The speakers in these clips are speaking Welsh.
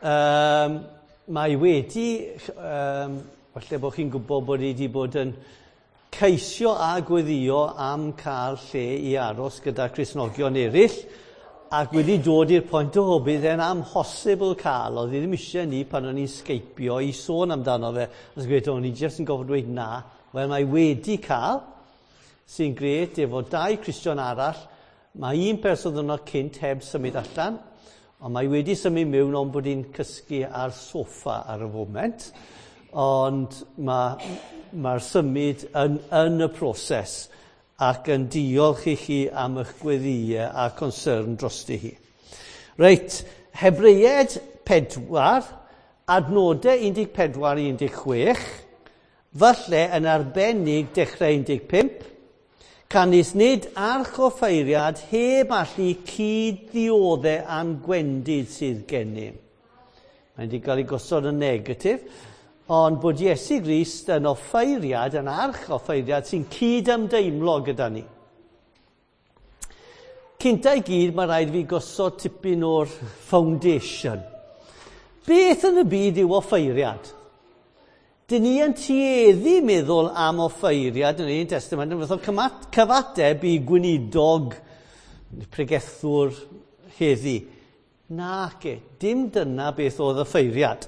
Mae wedi, falle bod chi'n gwybod bod hi wedi bod yn ceisio a gweddio am cael lle i aros gyda Cristnogion eraill, ac wedi dod i'r pwynt o bydd e'n amhosibl cael. Oedd hi ddim eisiau ni pan o'n i'n sgeipio i sôn amdano fe. Os gweud, o'n i jyst yn gofod dweud na. Wel, mae wedi cael, sy'n gret, efo dau Cristion arall. Mae un person yno cynt heb symud allan, ond mae wedi symud mewn ond bod hi'n cysgu ar soffa ar y foment. Ond mae'r symud yn y proses ac yn diolch i chi am eich gweddïau a concern drosti hi. Reit, Hebreiaid 4, adnodau 14 i 16, falle yn arbennig dechrau 15, canys nid archoffeiriad heb allu cyd-ddioddau am gwendid sydd gennym. Mae'n wedi cael ei gosod yn negatif, ond bod Iesu Grist yn offeiriad, yn arch-offeiriad sy'n cyd-ymdeimlo gyda ni. Cynta i gyd, mae rhaid fi gosod tipyn o'r foundation. Beth yn y byd yw offeiriad? Dyn ni yn tueddu meddwl am offeiriad yn ein Testament yn fath o cyfateb i gweinidog, pregethwr heddi. Nace, dim dyna beth oedd offeiriad.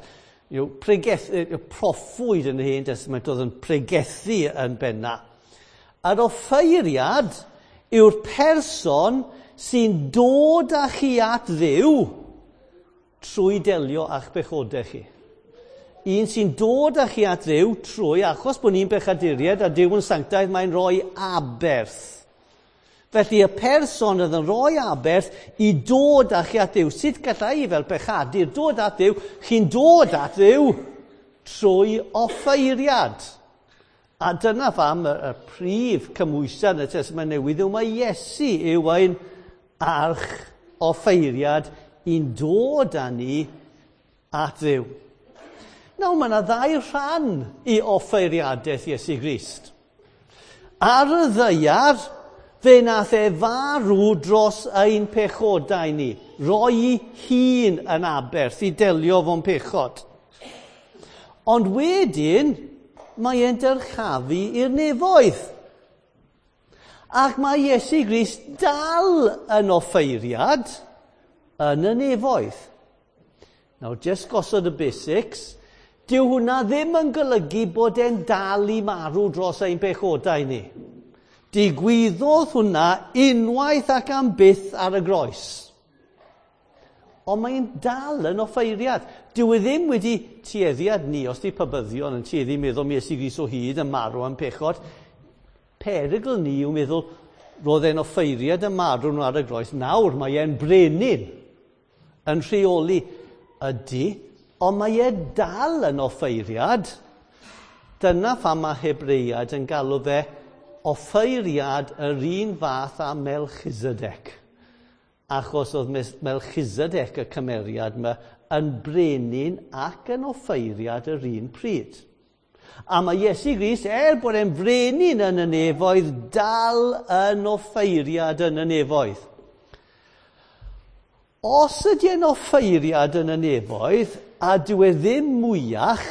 Proffwyd yn y Hen Testament oedd yn pregethu yn benna. A'r offeiriad yw'r person sy'n dod â chi at Dduw trwy delio â'ch pechodau chi. Un sy'n dod â chi at Dduw trwy, achos bod ni'n bechaduriaid a Duw yn sanctaidd, mae'n rhoi aberth. Felly y person oedd yn rhoi aberth i dod â chi at Dduw. Sut gallai i fel pechadur dod at Dduw? Chi'n dod at Dduw trwy offeiriad. A dyna pham y prif cymhwysiad yn y Testament Newydd yw mae Iesu yw ein arch offeiriad i'n dod â ni at Dduw. Nawr, mae yna ddau rhan i offeiriadaeth Iesu Grist. Ar y ddaear, fe nath e farw dros ein pechodau ni, roi ei hun yn aberth i delio fo'n pechod. Ond wedyn, mae e'n dyrchafu i'r nefoedd. Ac mae Iesu Grist dal yn offeiriad yn y nefoedd. Nawr, jyst gosod y basics, dyw hwnna ddim yn golygu bod e'n dal i marw dros ein pechodau ni. Digwyddodd hwnna unwaith ac am byth ar y groes. Ond mae'n dal yn offeiriad. Dyw e ddim wedi tueddiad ni, os di pabyddion yn tueddu meddwl mi Iesu Grist o hyd yn marw am pechod. Perygl ni yw meddwl roedd e'n offeiriad yn marw nhw ar y groes. Nawr mae e'n brenin yn rheoli. Ydy, ond mae e dal yn offeiriad. Dyna pham mae Hebreiaid yn galw fe offeiriad yr un fath â Melchizedek. Achos oedd Melchizedek y cymeriad yma yn brenin ac yn offeiriad yr un pryd. A mae Iesu Grist, er bod e'n frenin yn y nefoedd, dal yn offeiriad yn y nefoedd. Os ydy e'n offeiriad yn y nefoedd, a dyw e ddim mwyach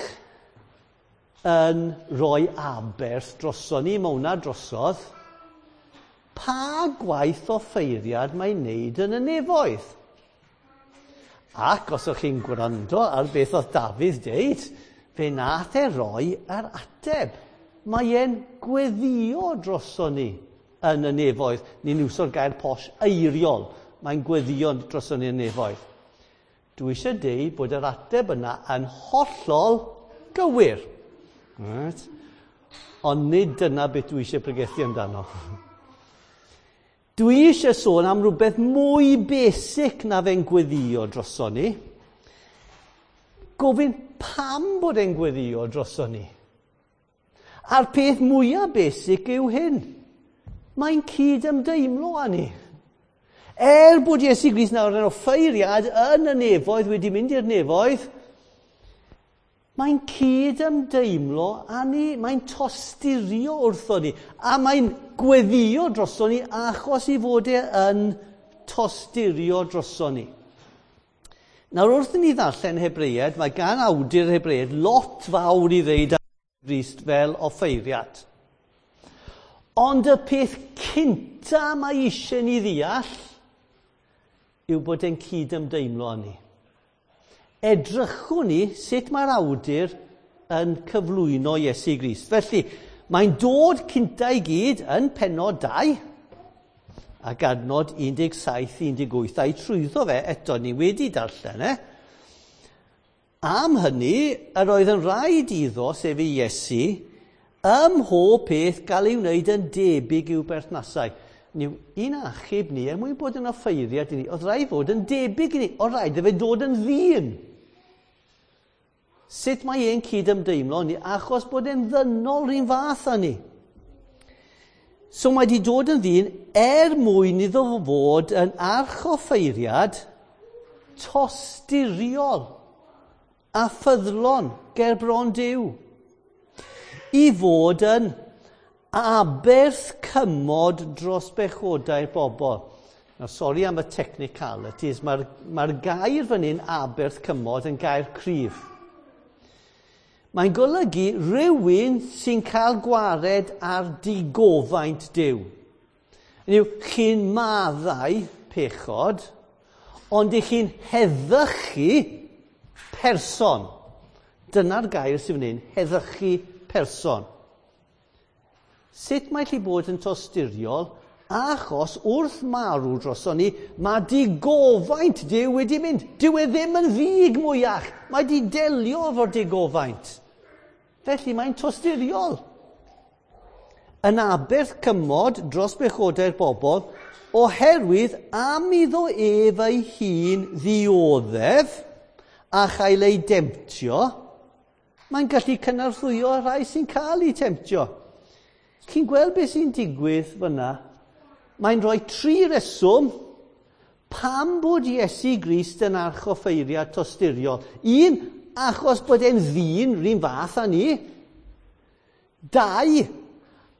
yn rhoi aberth droson ni, mae hwnna drosodd, pa gwaith offeiriad mae'n neud yn y nefoedd? Ac os ydych chi'n gwrando ar beth oedd Dafydd deud, fe nath e roi yr ateb. Mae e'n gweddio droson ni yn y nefoedd. Ni'n iwso'r gair posh eiriol. Mae'n gweddio droson ni yn y nefoedd. Dwi eisiau deud bod yr ateb yna yn hollol gywir. Right. Ond nid dyna beth dwi eisiau pregethu amdano. Dwi eisiau sôn am rhywbeth mwy basic na fe'n gweddio droson ni. Gofyn pam bod e'n gweddio droson ni. A'r peth mwyaf basic yw hyn. Mae'n cyd-ymdeimlo â ni. Er bod Iesu Grist nawr yn offeiriad yn y nefoedd, wedi mynd i'r nefoedd, mae'n cyd-ymdeimlo â ni, mae'n tosturio wrtho ni, a mae'n gweddio droso ni achos i fod e yn tosturio droso ni. Nawr, wrth i ni ddarllen Hebreiaid, mae gan awdur Hebreiaid lot fawr i ddeud am Grist fel offeiriad. Ond y peth cynta mae eisiau ni ddeall yw bod e'n cyd-ymdeimlo â ni. Edrychwn ni sut mae'r awdur yn cyflwyno Iesu Grist. Felly, mae'n dod cynta i gyd yn pennod 2 ac adnod 17-18, a'i trwyddo fe eto, ni wedi darllen e. Am hynny, yr oedd yn rhaid iddo, sef i Iesu, ym mhob peth gael ei wneud yn debyg i'w berthnasau. Niw, un achub ni, er mwyn bod yn offeiriad i ni, oedd rhaid fod yn debyg i ni, oedd rhaid iddo fe dod yn ddyn. Sut mae e'n cyd-ymdeimlo ni? Achos bod e'n ddynol rhywun fath â ni. So mae wedi dod yn ddyn er mwyn iddo fod yn archoffeiriad tosturiol a ffyddlon ger bron Duw. I fod yn aberth cymod dros bechodau'r bobl. Nawr, sori am y technicalities, mae'r mae gair fan hyn aberth cymod yn gair cryf. Mae'n golygu rhywun sy'n cael gwared ar digofaint Duw. Hynny yw, chi'n maddau pechod, ond i chi'n heddychu person. Dyna'r gair sy'n fan hyn, heddychu person. Sut mae lli bod yn tosturiol? Achos wrth marw droson ni, mae digofaint Duw wedi mynd. Dyw e ddim yn ddig mwyach. Mae di delio efo'r digofaint. Felly mae'n tosturiol. Yn aberth cymod dros bechodau'r bobl, oherwydd am iddo ef ei hun ddioddef a chael ei demtio, mae'n gallu cynorthwyo rhai sy'n cael ei temtio. Chi'n gweld beth sy'n digwydd fyna? Mae'n rhoi tri reswm pam bod Iesu Grist yn archoffeiriad tosturiol. Un, achos bod e'n ddyn rhywun fath â ni. Dau,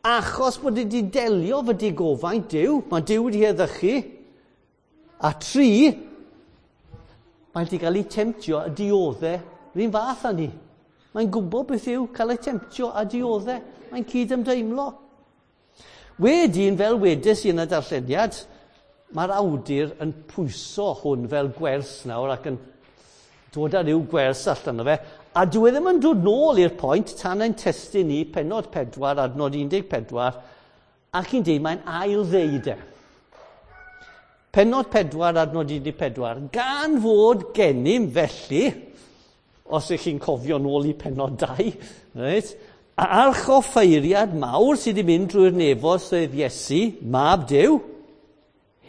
achos bod e wedi delio fy digofaint Duw, mae Duw wedi heddychu. A tri, mae wedi cael ei temtio a dioddau rhywun fath â ni. Mae'n gwybod beth yw cael ei temtio a dioddau. Mae'n cyd ymdeimlo. Wedyn, fel wedes i yn y darlleniad, mae'r awdur yn pwyso hwn fel gwers nawr ac yn dod â rhyw gwers allan o fe. A dwi e ddim yn dod nôl i'r pwynt tan ein testun ni, pennod 4, adnod 14, ac i'n dweud mae'n ail ddeud e. Pennod 4, adnod 14. Gan fod gennym felly, os ych chi'n cofio nôl i pennod 2, reit, archoffeiriad mawr sydd wedi mynd drwy'r nefod sef Iesu, mab Duw.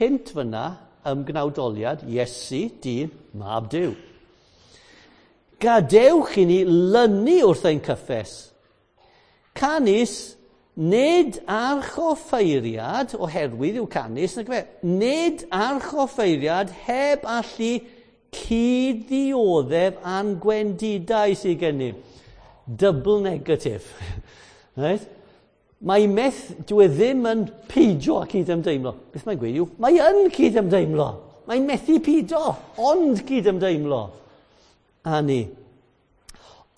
Hint fyna, ymgnawdoliad, Iesu, dyn, mab Duw. Gadewch i ni lynu wrth ein cyffes. Canys, nid archoffeiriad, oherwydd yw canys, nag fe, nid archoffeiriad heb allu cyd-ddioddef a'n gwendidau sydd gennym. Double negative. Right? Mae meth, dyw e ddim yn peidio â cyd-ymdeimlo. Beth mae'n gweud yw, mae yn cyd-ymdeimlo. Mae'n methu pido, ond cyd-ymdeimlo. A ni.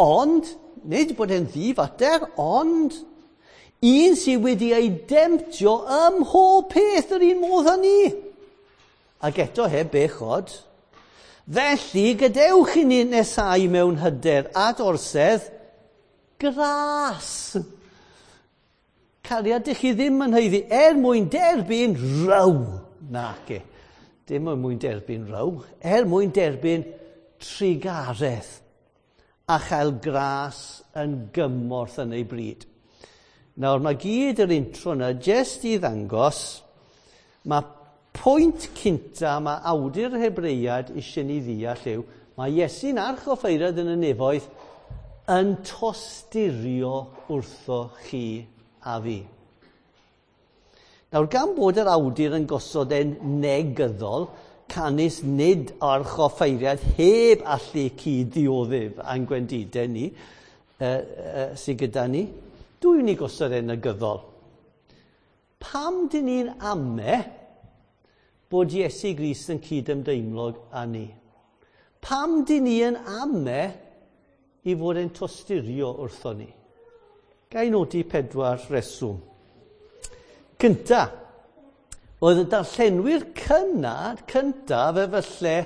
Ond, nid bod e'n ddifater, ond un sydd wedi ei demtio ym mhob peth yr un modd â ni. Ac eto heb bechod. Felly, gadewch i ni nesau mewn hyder at orsedd gras. Cariad, dych chi ddim yn haeddu er mwyn derbyn rhyw. Nac e. Dim er mwyn derbyn rhyw. Er mwyn derbyn trugaredd a chael gras yn gymorth yn ei bryd. Nawr, mae gyd yr intro yna jyst i ddangos, mae pwynt cynta mae awdur Hebreiad eisiau ni ddeall yw, mae Iesu'n archoffeiriad yn y nefoedd yn tosturio wrtho chi a fi. Nawr, gan bod yr awdur yn gosod e'n negyddol, canys nid archoffeiriad heb allu cyd-ddioddef a'n gwendidau ni sydd gyda ni, dwi'n ni gosod e'n negyddol. Pam dyn ni'n ame bod Iesu Grist yn cyd-ymdeimlo â ni? Pam dyn ni yn ame i fod yn tosturio wrthon ni? Ga i nodi 4 reswm. Cynta, oedd y darllenwyr cyntaf efallai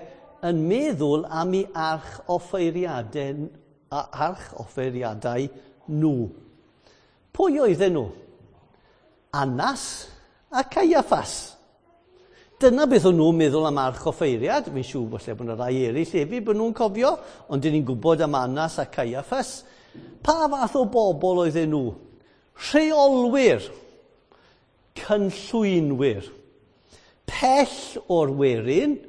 yn meddwl am ei arch-offeiriadau nhw. Pwy oedden nhw? Annas a Caiaffas. Dyna beth o'n nhw'n meddwl am arch-offeiriad. Fi'n siŵr falle bod yna rai eraill hefyd bod nhw'n cofio, ond dyn ni'n gwybod am Annas a Caiaffas. Pa fath o bobl oedden nhw? Rheolwyr, cynllwynwyr, pell o'r werin,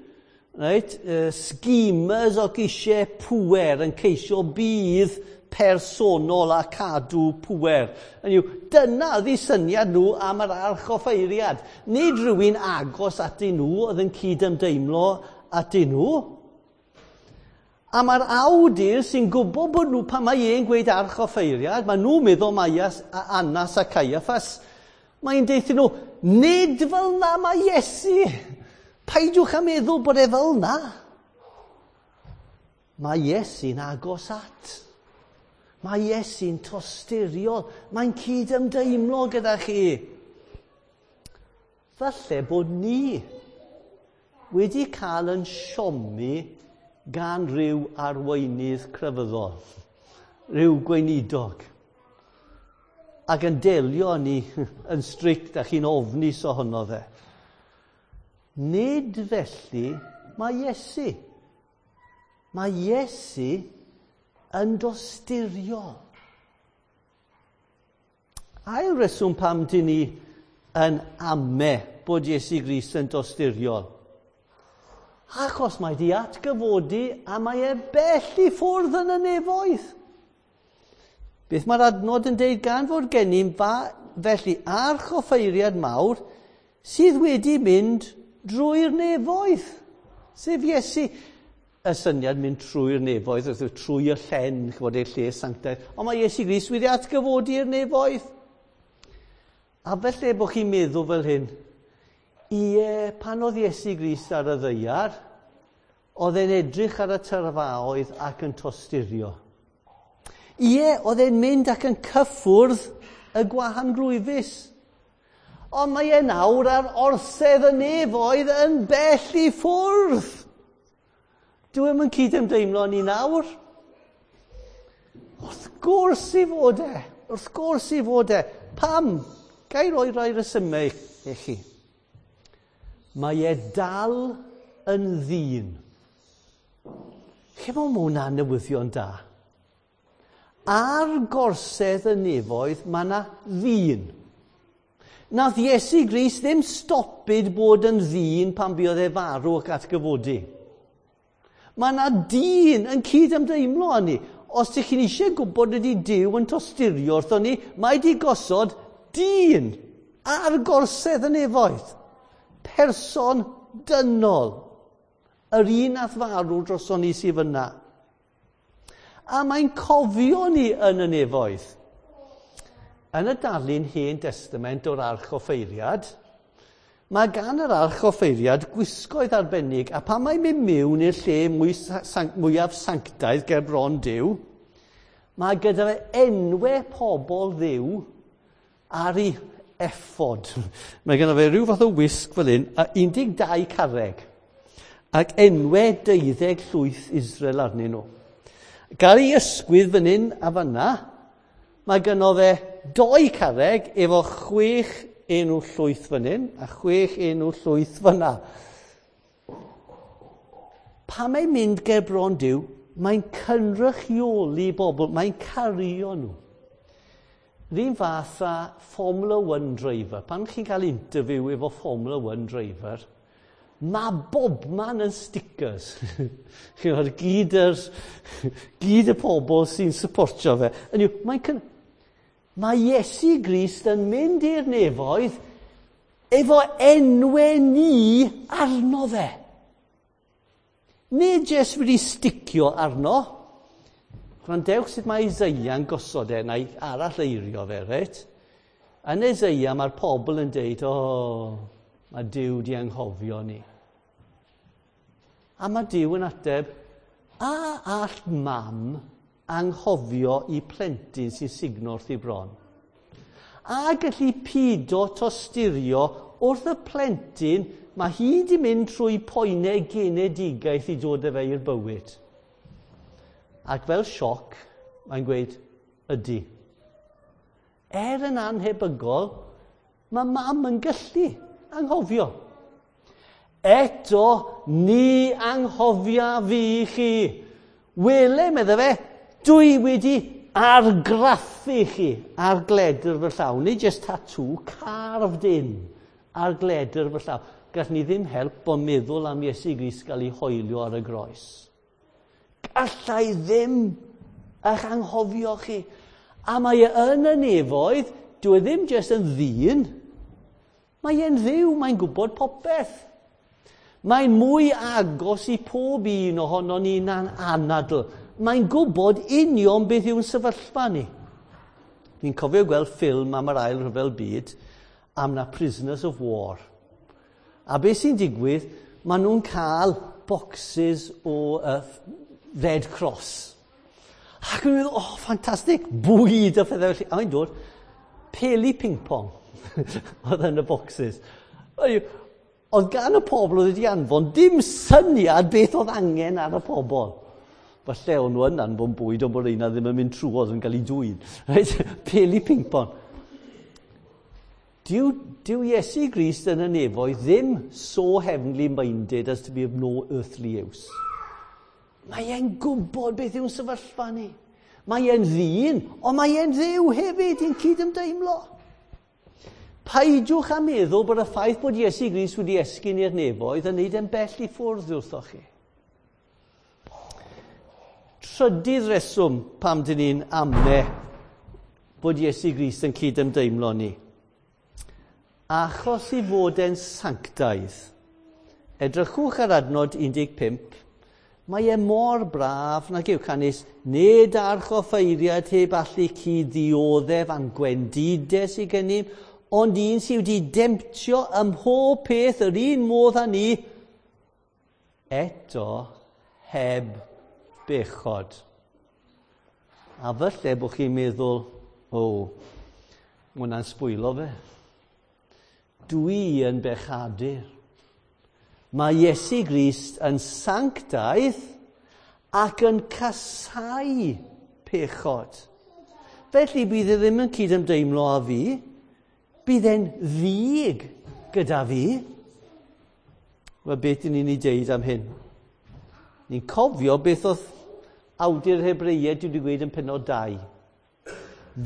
right? Schemers ac eisiau pŵer yn ceisio budd personol a cadw pŵer. Hynny yw, dyna oedd eu syniad nhw am yr arch-offeiriad. Nid rhywun agos atyn nhw oedd yn cydymdeimlo atyn nhw. A mae'r awdur sy'n gwybod bod nhw, pan mae e'n gweud arch-offeiriad, mae nhw'n meddwl mai Annas a Caiaffas. Mae'n deutha nhw, nid fel na mae Iesu. Peidiwch â meddwl bod e fel na. Mae Iesu'n agos at. Mae Iesu'n tosturiol. Mae'n cydymdeimlo gyda chi. Falle bod ni wedi cael yn siomi gan ryw arweinydd crefyddol, rhyw gweinidog, ac yn delio ni yn strict a chi'n ofnus ohono fe. Nid felly mae Iesu. Mae Iesu yn dosturiol. Ail reswm pam dyn ni yn ame bod Iesu Grist yn dosturiol. Achos mae di atgyfodi a mae e bell i ffwrdd yn y nefoedd. Beth mae'r adnod yn deud gan fod gennym felly arch-offeiriad mawr sydd wedi mynd drwy'r nefoedd, sef Iesu. Y syniad mynd trwy'r nefoedd, wrth trwy y llen, ch'mod, i'r lle sanctaidd. Ond mae Iesu Grist wedi atgyfodi i'r nefoedd. A felly bod chi'n meddwl fel hyn, ie, pan oedd Iesu Grist ar y ddaear, oedd e'n edrych ar y tyrfaoedd ac yn tosturio. Ie, oedd e'n mynd ac yn cyffwrdd y gwahanglwyfus. Ond mae e nawr ar orsedd y nefoedd yn bell i ffwrdd. Dyw e'm yn cydymdeimlo ni nawr. Wrth gwrs i fod e. Wrth gwrs i fod e. Pam? Ga i roi rai resymau i chi. Mae e dal yn ddyn. Lle mae hwnna'n newyddion da? Ar gorsedd y nefoedd mae yna ddyn. Nath Iesu Grist ddim stopid bod yn ddyn pan buodd e farw ac atgyfodi. Mae yna dyn yn cydymdeimlo â ni. Os ydych chi'n eisiau gwybod ydy Duw yn tosturio wrthon ni, mae di gosod dyn ar gorsedd y nefoedd. Person dynol. Yr un nath farw droson ni sydd fyna. A mae'n cofio ni yn y nefoedd. Yn y darlun Hen Testament o'r arch-offeiriad, mae gan yr arch-offeiriad gwisgoedd arbennig, a pan mae'n mynd mewn i'r lle mwyaf sanctaidd ger bron Duw, mae gyda fe enwau pobl Dduw ar ei effod. Mae gyda fe rhyw fath o wisg fel hyn, a 12 carreg, ac enwau 12 llwyth Israel arnyn nhw. Gar ei ysgwydd fan hyn a fanna, mae gynno fe 2 carreg efo 6 enw llwyth fan hyn a 6 enw llwyth fanna. Pan mae'n mynd ger bron Duw, mae'n cynrychioli bobl, mae'n cario nhw. Yr un fath â Formula 1 driver. Pan chi'n cael interview efo Formula 1 driver, mae bobman yn stickers. Chi'n gwybod, gyd y pobl sy'n supportio fe. Hynny yw, mae Iesu Grist yn mynd i'r nefoedd efo enwau ni arno fe. Nid jyst wedi sticio arno. Gwrandewch sut mae Isaiah'n gosod e, na i arall eirio fe, reit? Yn Isaiah mae'r pobl yn deud, o, mae Duw di anghofio ni. A mae Duw yn ateb, A all mam anghofio i plentyn sy'n sugno wrth ei bron? A gallu pido tosturio wrth y plentyn mae hi wedi mynd trwy poenau genedigaeth i dod â fe i'r bywyd? Ac fel sioc, mae'n gweud, ydy. Er yn anhebygol, mae mam yn gallu anghofio. Eto, ni anghofia fi chi. Wele, medde fe, dwi wedi argraffu chi ar gledr fy llaw. Nid jyst tatŵ, carved in ar gledr fy llaw. Gall ni ddim help ond meddwl am Iesu Grist gael ei hoelio ar y groes. Gallai ddim eich anghofio chi. A mae e yn y nefoedd, dyw e ddim jyst yn ddyn, mae e'n Dduw, mae'n gwybod popeth. Mae'n mwy agos i pob un ohono ni na'n anadl. Mae'n gwybod union beth yw'n sefyllfa ni. Ni'n cofio gweld ffilm am yr Ail Rhyfel Byd am na Prisoners of War. A beth sy'n digwydd, maen nhw'n cael boxes o Red Cross. Ac yn meddwl, oh, ffantastig, bwyd a phethau felly. A mae'n dod, peli ping-pong oedd yn y boxes. Oedd gan y pobl oedd wedi anfon dim syniad beth oedd angen ar y pobl. Falle o'n nhw yn anfon bwyd, ond bod reina ddim yn mynd trwodd yn cael ei dwyn. Right? Peli ping-pong. Dyw Iesu Grist yn y nefoedd ddim so heavenly minded as to be of no earthly use. Mae e'n gwybod beth yw'n sefyllfa ni. Mae e'n ddyn, ond mae e'n Dduw hefyd i'n cyd-ymdeimlo. Paidiwch â meddwl bod y ffaith bod Iesu Grist wedi esgyn i'r nefoedd yn neud e'n bell i ffwrdd wrthoch chi. Trydydd reswm pam dyn ni'n amne bod Iesu Grist yn cyd-ymdeimlo ni. Achos i fod e'n sanctaidd. Edrychwch ar adnod 15. Mae e mor braf nag yw canys nid archoffeiriad heb allu cyd-ddioddef a'n gwendidau sydd gennym, ond un sydd wedi demtio ym mhob peth yr un modd â ni, eto heb bechod. A falle bod chi'n meddwl, o, mae hwnna'n sbwylo fe. Dwi yn bechadur. Mae Iesu Grist yn sanctaidd ac yn casáu pechod. Felly bydd e ddim yn cydymdeimlo â fi, bydd e'n ddig gyda fi. Wel, beth dyn ni'n ei deud am hyn? Ni'n cofio beth oedd awdur Hebreiaid wedi gweud yn pennod 2.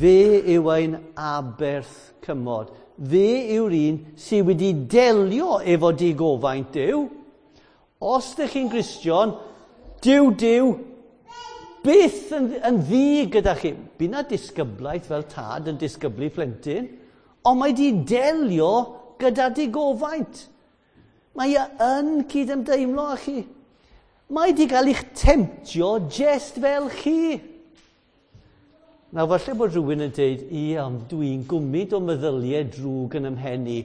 Fe yw ein aberth cymod. Fe yw'r un sydd wedi delio efo digofaint Duw. Os ydych chi'n Gristion, Duw byth yn ddig gyda chi. Bydd na disgyblaeth fel tad yn disgyblu plentyn, ond mae di delio gyda digofaint. Mae e yn cydymdeimlo â chi. Mae di gael eich temtio jest fel chi. Nawr, falle bod rhywun yn dweud, ie, ond dwi'n gwmyd o meddyliau drwg yn ymhen i.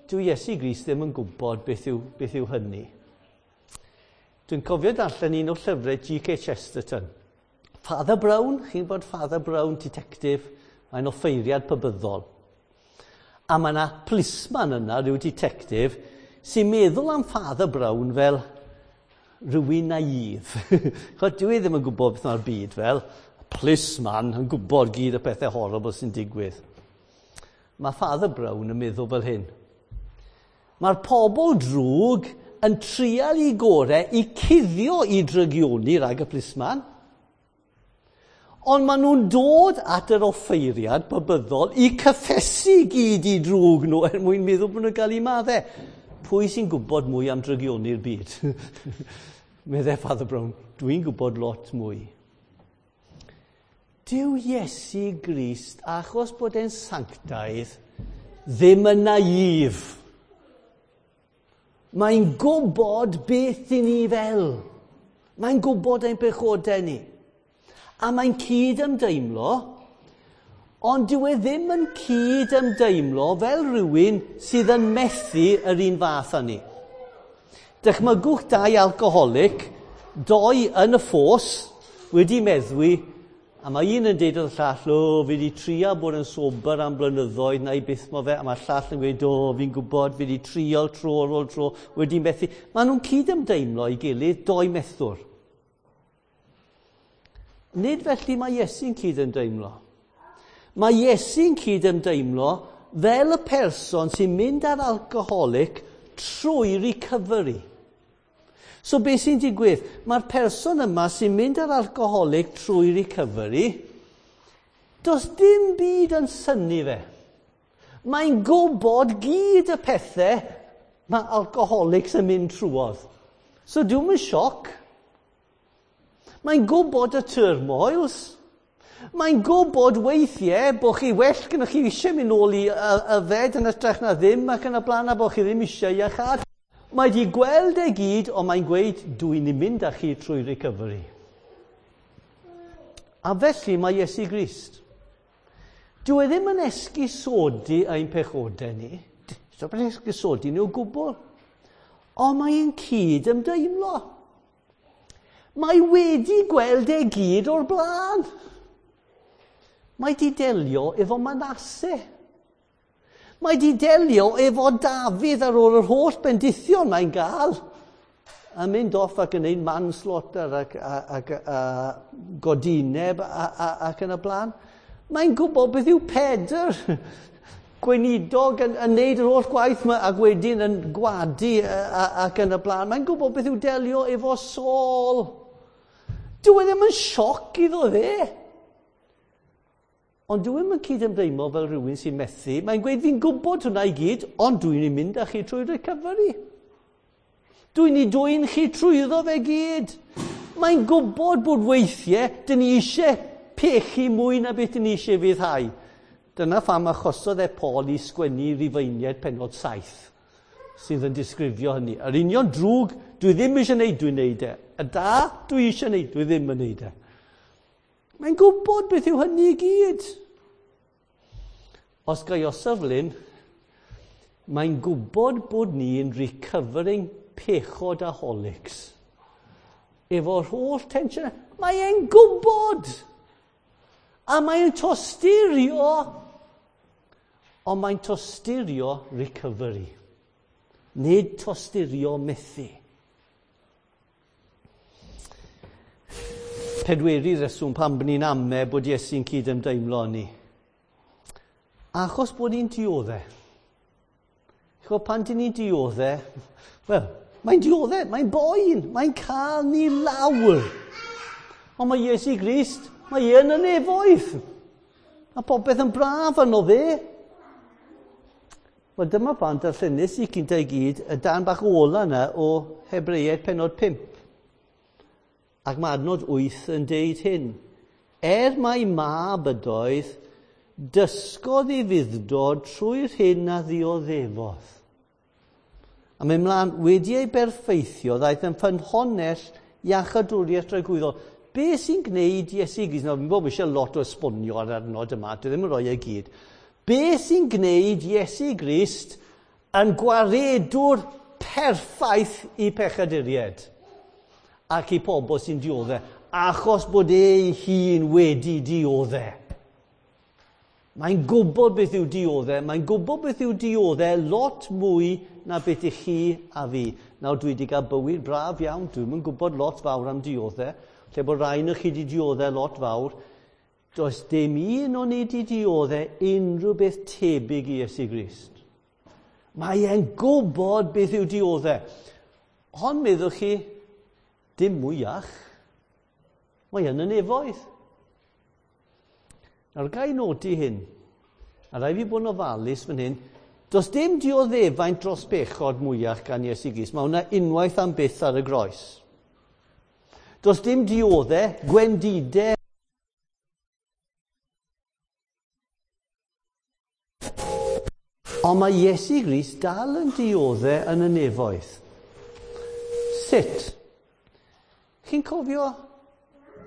Dwi Iesu Grist ddim yn gwybod beth yw hynny. Dwi'n cofio darllen un o llyfrau G.K. Chesterton. Father Brown, chi'n bod Father Brown, detective, mae'n offeiriad pabyddol. A mae yna plisman yna, rhyw detective, sy'n meddwl am Father Brown fel rhywun naïf. Chod, dwi ddim yn gwybod beth mae'r byd fel. Plisman yn gwybod gyd y pethau horrible sy'n digwydd. Mae Father Brown yn meddwl fel hyn. Mae'r pobl drwg yn trial i gorau i cuddio i drygioni rhag y plisman. Ond maen nhw'n dod at yr offeiriad pabyddol i cyffesu gyd i drwg nhw er mwyn meddwl bod nhw'n cael eu maddau. Pwy sy'n gwybod mwy am drygioni'r byd? Meddai Father Brown, dwi'n gwybod lot mwy. Dyw Iesu Grist, achos bod e'n sanctaidd, ddim yn naïf. Mae'n gwybod beth i ni fel. Mae'n gwybod ein pechodau ni. A mae'n cyd-ymdeimlo, ond dyw e ddim yn cyd-ymdeimlo fel rhywun sydd yn methu yr un fath â ni. Dychmygwch dau alcoholic Doi yn y ffos wedi meddwi, a mae un yn deud wrth y llall, o, fi wedi trio bod yn sober am blynyddoedd, na i byth mo fe, a mae'r llall yn gweud, o, fi'n gwybod, fi wedi trial tro ar ôl tro, wedi methu. Maen nhw'n cyd-ymdeimlo i gilydd, doi methwr. Nid felly mae Iesu'n cyd-ymdeimlo. Mae Iesu'n cyd-ymdeimlo fel y person sy'n mynd ar alcoholic trwy recovery. So beth sy'n digwydd? Mae'r person yma sy'n mynd ar alcoholic trwy recovery, does dim byd yn synnu fe. Mae'n gwybod gyd y pethau mae alcoholics yn mynd trwodd. So dwi'n yn sioc. Mae'n gwybod y turmoils. Mae'n gwybod weithiau bod chi well gyda chi eisiau mynd nôl i yfed yn ytrach na ddim ac yn y blaen a bod chi ddim eisiau iachâd. Mae wedi gweld e gyd, ond mae'n gweud, dwi'n mynd â chi trwy recovery. A felly mae Iesu Grist. Dyw e ddim yn esgusodi ein pechodau ni. Dyw e'n esgusodi ni o gwbl. Ond mae'n cyd ymdeimlo. Mae wedi gweld e gyd o'r blaen. Mae wedi delio efo Manasse. Mae wedi delio efo Dafydd ar ôl yr holl bendithion mae'n gael. A mynd off ac yn gwneud manslaughter ac godineb ac yn y blaen. Mae'n gwybod beth yw Pedr, gweinidog yn neud yr holl gwaith yma ac wedyn yn gwadu ac yn y blaen. Mae'n gwybod beth yw delio efo Saul. Dyw e ddim yn sioc iddo fe. Ond dwi ddim yn cyd-ymdeimlo fel rhywun sy'n methu. Mae'n gweud, fi'n gwybod hwnna i gyd, ond dwi'n ei mynd â chi trwy recovery. Dwi'n ei dwyn chi trwyddo fe gyd. Mae'n gwybod bod weithiau, dyn ni eisiau pechu mwy na beth dyn ni eisiau fyddhau. Dyna pham achosodd e Paul i sgwennu Rufeiniaid pennod 7, sydd yn disgrifio hynny. Yr union drwg, dwi ddim eisiau neud, dwi'n neud e. Y da, dwi eisiau neud, dwi ddim yn neud e. Mae'n gwybod beth yw hynny i gyd. Os ga i osod fel hyn, mae'n gwybod bod ni'n recovering pechodaholics. Efo'r holl tension, mae e'n gwybod. A mae'n tosturio, ond mae'n tosturio recovery. Nid tosturio methu. Pedwerydd reswm pam bod ni'n ame bod Iesu'n cyd-ymdeimlo â ni. Achos bod ni'n dioddef. Ch'mo, pan dyn ni'n dioddef, wel, mae'n dioddef, mae'n boen, mae'n cael ni lawr. Ond mae Iesu Grist, mae e yn y nefoedd. A popeth yn braf arno fe. Wel, dyma pan darllenes i cynta i gyd y darn bach ola yna o Hebreaid pennod 5. Ac mae adnod 8 yn deud hyn. Er mai mab ydoedd, dysgodd ei fudd-dod trwy'r hyn a ddioddefodd. A mae'n mlaen, wedi ei berffeithio, ddaeth yn ffynhonnell iachadwriaeth dragwyddol. Be sy'n gwneud Iesu Grist? Nawr, fi'n gwybod eisiau lot o esbonio ar adnod yma, dwi ddim yn rhoi e gyd. Be sy'n gwneud Iesu Grist yn gwaredwr perffaith i pechaduriaid ac i pobl sy'n dioddef, achos bod ei hun wedi dioddef. Mae'n gwybod beth yw dioddef, mae'n gwybod beth yw dioddef lot mwy na beth i chi a fi. Nawr, dwi wedi cael bywyd braf iawn, dwi'm yn gwybod lot fawr am dioddef, lle bod rhai ohonoch chi wedi dioddef lot fawr, does dim un o'n ni wedi dioddef unrhyw beth tebyg i Iesu Grist. Mae e'n gwybod beth yw dioddef. Ond meddwch chi, dim mwyach, mae yn y nefoedd. Nawr, ga i nodi hyn, a rhaid fi bod yn ofalus fan hyn, does dim dioddefaint dros bechod mwyach gan Iesu Grist. Mae hwnna unwaith am byth ar y groes. Does dim diodde, gwendide. Ond mae Iesu Grist dal yn diodde yn y nefoedd. Sut? Chi'n cofio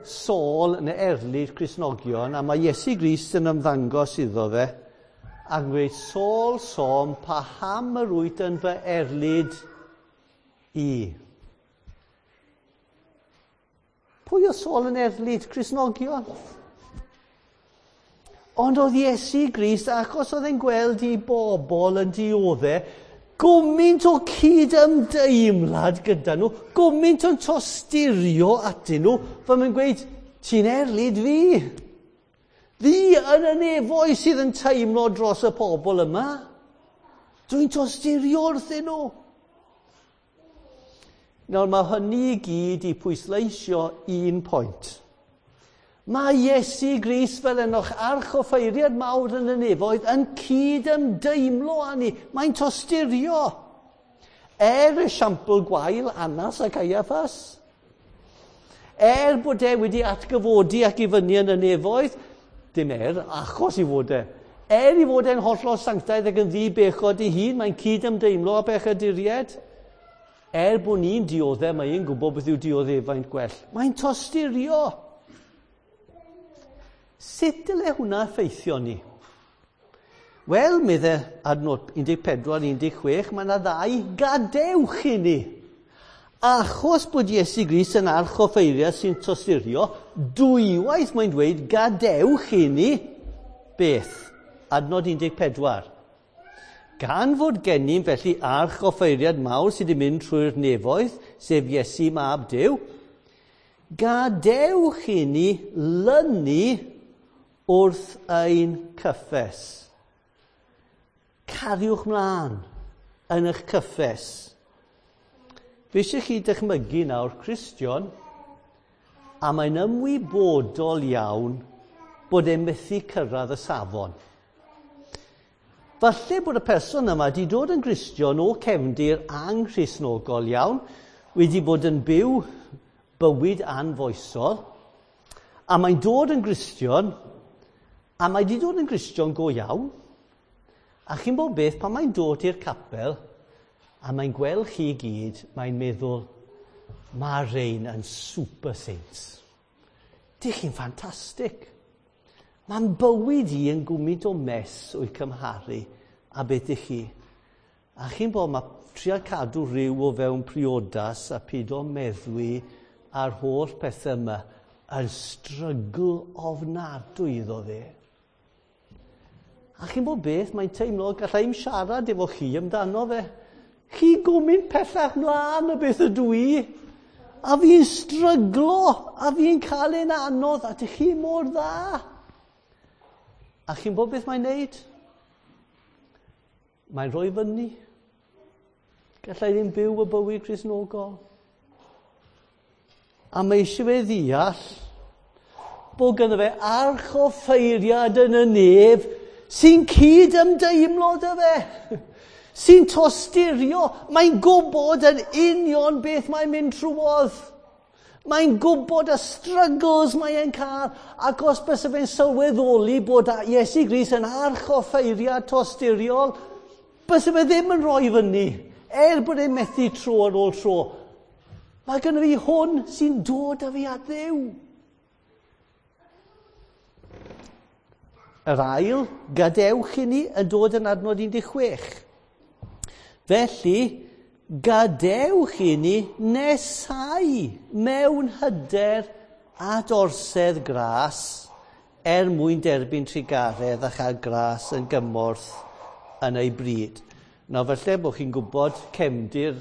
Saul yn erlid Cristnogion, a mae Iesu Grist yn ymddangos iddo fe, ac yn gweud, Saul, Saul, paham yr wyt yn fy erlid i? Pwy o Saul yn erlid? Cristnogion. Ond oedd Iesu Grist, achos oedd e'n gweld i bobl yn dioddau, gwmynt o cyd-ymdeimlad gyda nhw, gwmynt o'n tosturio atyn nhw, fel mae'n gweud, ti'n erlid fi. Fi yn y nefoedd sydd yn teimlo dros y pobl yma. Dwi'n tosturio wrthyn nhw. Nawr mae hynny i gyd i pwysleisio un pwynt. Mae Iesu Grist fel un o'ch archoffeiriad mawr yn y nefoedd yn cyd-ymdeimlo â ni. Mae'n tosturio. Er esiampl gwael Annas a Caiaffas. Er bod e wedi atgyfodi ac i fyny yn y nefoedd, dim er, achos i fod e. Er i fod e'n hollol sanctaidd ac yn ddi-bechod ei hun, mae'n cyd-ymdeimlo â bechaduriaid. Er bod ni'n dioddef, mae e'n gwybod beth yw dioddefaint gwell. Mae'n tosturio. Sut dyle hwnna effeithio ni? Wel, medde adnod 14-16, mae yna ddau gadewch i ni. Achos bod Iesu Grist yn archoffeiriad sy'n tosturio, dwywaith mae'n dweud gadewch i ni beth? Adnod 14. Gan fod gennym felly archoffeiriad mawr sydd wedi mynd trwy'r nefoedd, sef Iesu mab Duw, gadewch i ni lynu wrth ein cyffes. Cariwch mlaen yn eich cyffes. Fe eisiau chi dychmygu nawr Cristion, a mae'n ymwybodol iawn bod e'n methu cyrraedd y safon. Falle bod y person yma wedi dod yn Gristion o cefndir anghristnogol iawn, wedi bod yn byw bywyd anfoesol, a mae'n dod yn Gristion, a mae wedi dod yn Gristion go iawn, a chi'n bod beth, pan mae'n dod i'r capel, a mae'n gweld chi gyd, mae'n meddwl, mae rhein yn super saints. Dych chi'n ffantastig. Mae'n bywyd i yn gwmynt o mess o'i cymharu a beth ych chi. A chi'n bod, mae trio cadw rhyw o fewn priodas a pido meddwi a'r holl pethau yma yn strygl ofnadwy iddo fe. A chi'n bod beth, mae'n teimlo gallai i'm siarad efo chi amdano fe. Chi gwmynt pellach mlaen o beth ydw i. A fi'n stryglo, a fi'n cael ein anodd, a dych chi mor dda. A chi'n bod beth mae'n neud? Mae'n rhoi fyny. Gallai ddim byw y bywyd Cristnogol. A mae eisiau fe ddeall bod gynno fe archoffeiriad yn y nef sy'n cyd-ymdeimlo dy fe, sy'n tosturio. Mae'n gwybod yn union beth mae'n mynd trwodd. Mae'n gwybod y struggles mae'n cael, ac os bys fe'n sylweddoli bod Iesu Grist yn archoffeiriad tosturiol, bys fe ddim yn rhoi fyny, er bod e'n methu tro ar ôl tro. Mae gynno fi hwn sy'n dod â fi at Dduw. Yr ail, gadewch i ni, yn dod yn adnod 16. Felly, gadewch i ni nesau mewn hyder a dorsedd gras er mwyn derbyn trugaredd a chael gras yn gymorth yn ei bryd. Nawr, falle bod chi'n gwybod cefndir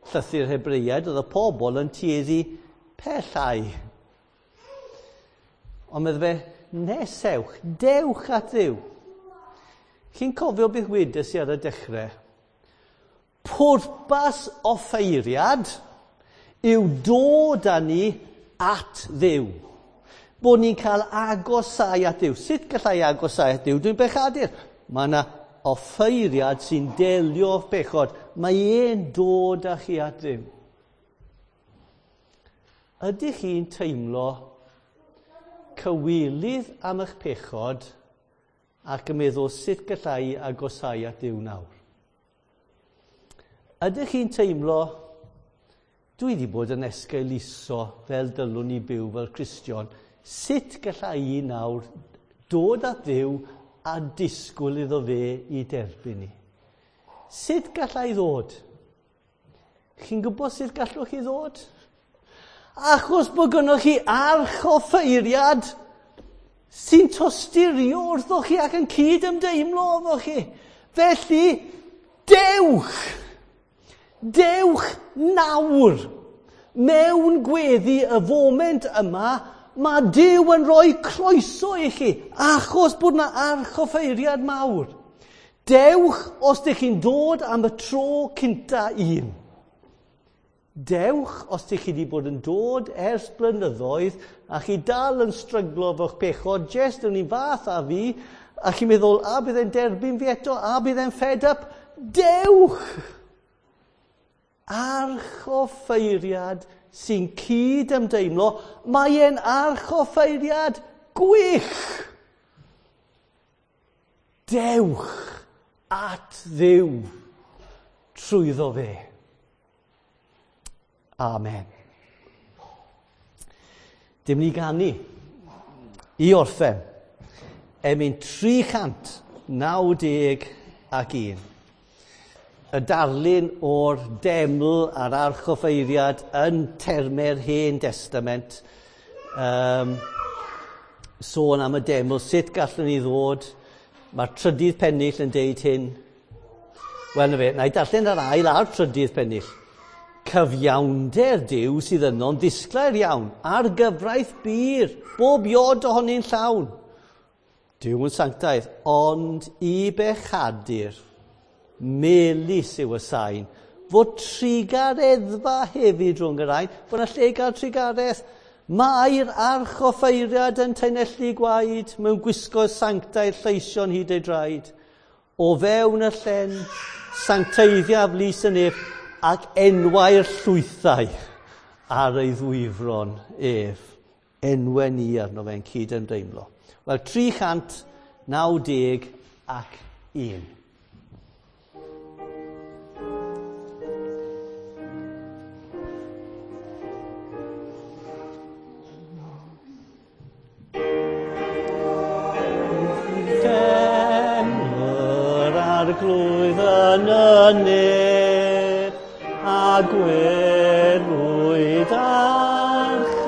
llythyr Hebreiaid, oedd y pobl yn tueddu pellau. Ond medde fe, nesewch, dewch at Dduw. Chi'n cofio beth wedes i ar y dechrau? Pwrpas offeiriad yw dod â ni at Dduw. Bod ni'n cael agosau at Dduw. Sut gallai agosau at Dduw? Dwi'n bechadur. Mae yna offeiriad sy'n delio bechod. Mae e'n dod â chi at Dduw. Ydych chi'n teimlo cywilydd am eich pechod ac yn meddwl sut gallai agosau at Dduw nawr? Ydych chi'n teimlo, dwi wedi bod yn esgeuluso fel dylwn i byw fel Cristion, sut gallai i nawr dod at Dduw a disgwyl iddo fe i derbyn ni? Sut gallai ddod? Chi'n gwybod sut gallwch chi ddod? Achos bod gynnoch chi archoffeiriad sy'n tosturio wrthoch chi ac yn cyd-ymdeimlo efo chi. Felly, dewch! Dewch nawr! Mewn gweddi y foment yma, mae Duw yn rhoi croeso i chi, achos bod yna archoffeiriad mawr. Dewch os ydych chi'n dod am y tro cynta un. Dewch os ydych chi wedi bod yn dod ers blynyddoedd a chi dal yn stryglo efo'ch pechod, jest yn un fath a fi, a chi'n meddwl, a bydd e'n derbyn fi eto, a bydd e'n fed up. Dewch! Archoffeiriad sy'n cyd-ymdeimlo, mae e'n archoffeiriad gwych! Dewch at Dduw trwyddo fe. Amen. Dim ni ganu i orffen emyn 391. Y darlun o'r deml a'r archoffeiriad yn termau'r Hen Testament. Sôn am y deml, sut gallwn ni ddod. Mae'r trydydd pennill yn deud hyn. Wel, na fe, na i darllen yr ail a'r trydydd pennill. Cyfiawnder Duw sydd yno'n ddisglair iawn, ar gyfraith bur, bob iod ohoni'n llawn. Duw yn sanctaidd, ond i bechadur, melys yw y sain, fod trugareddfa hefyd rhwng y rhain, bod yna lle i gael trugaredd. Mae'r archoffeiriad yn taenellu gwaed mewn gwisgoedd sanctaidd lleision hyd ei draed. O fewn y llen, sancteiddiaf lys y nef, ac enwau'r llwythau ar ei ddwyfron ef. Enwau ni arno fe'n cyd yn deimlo. Wel, 391. Deml yr arglwydd yn y nef, a gwelwyd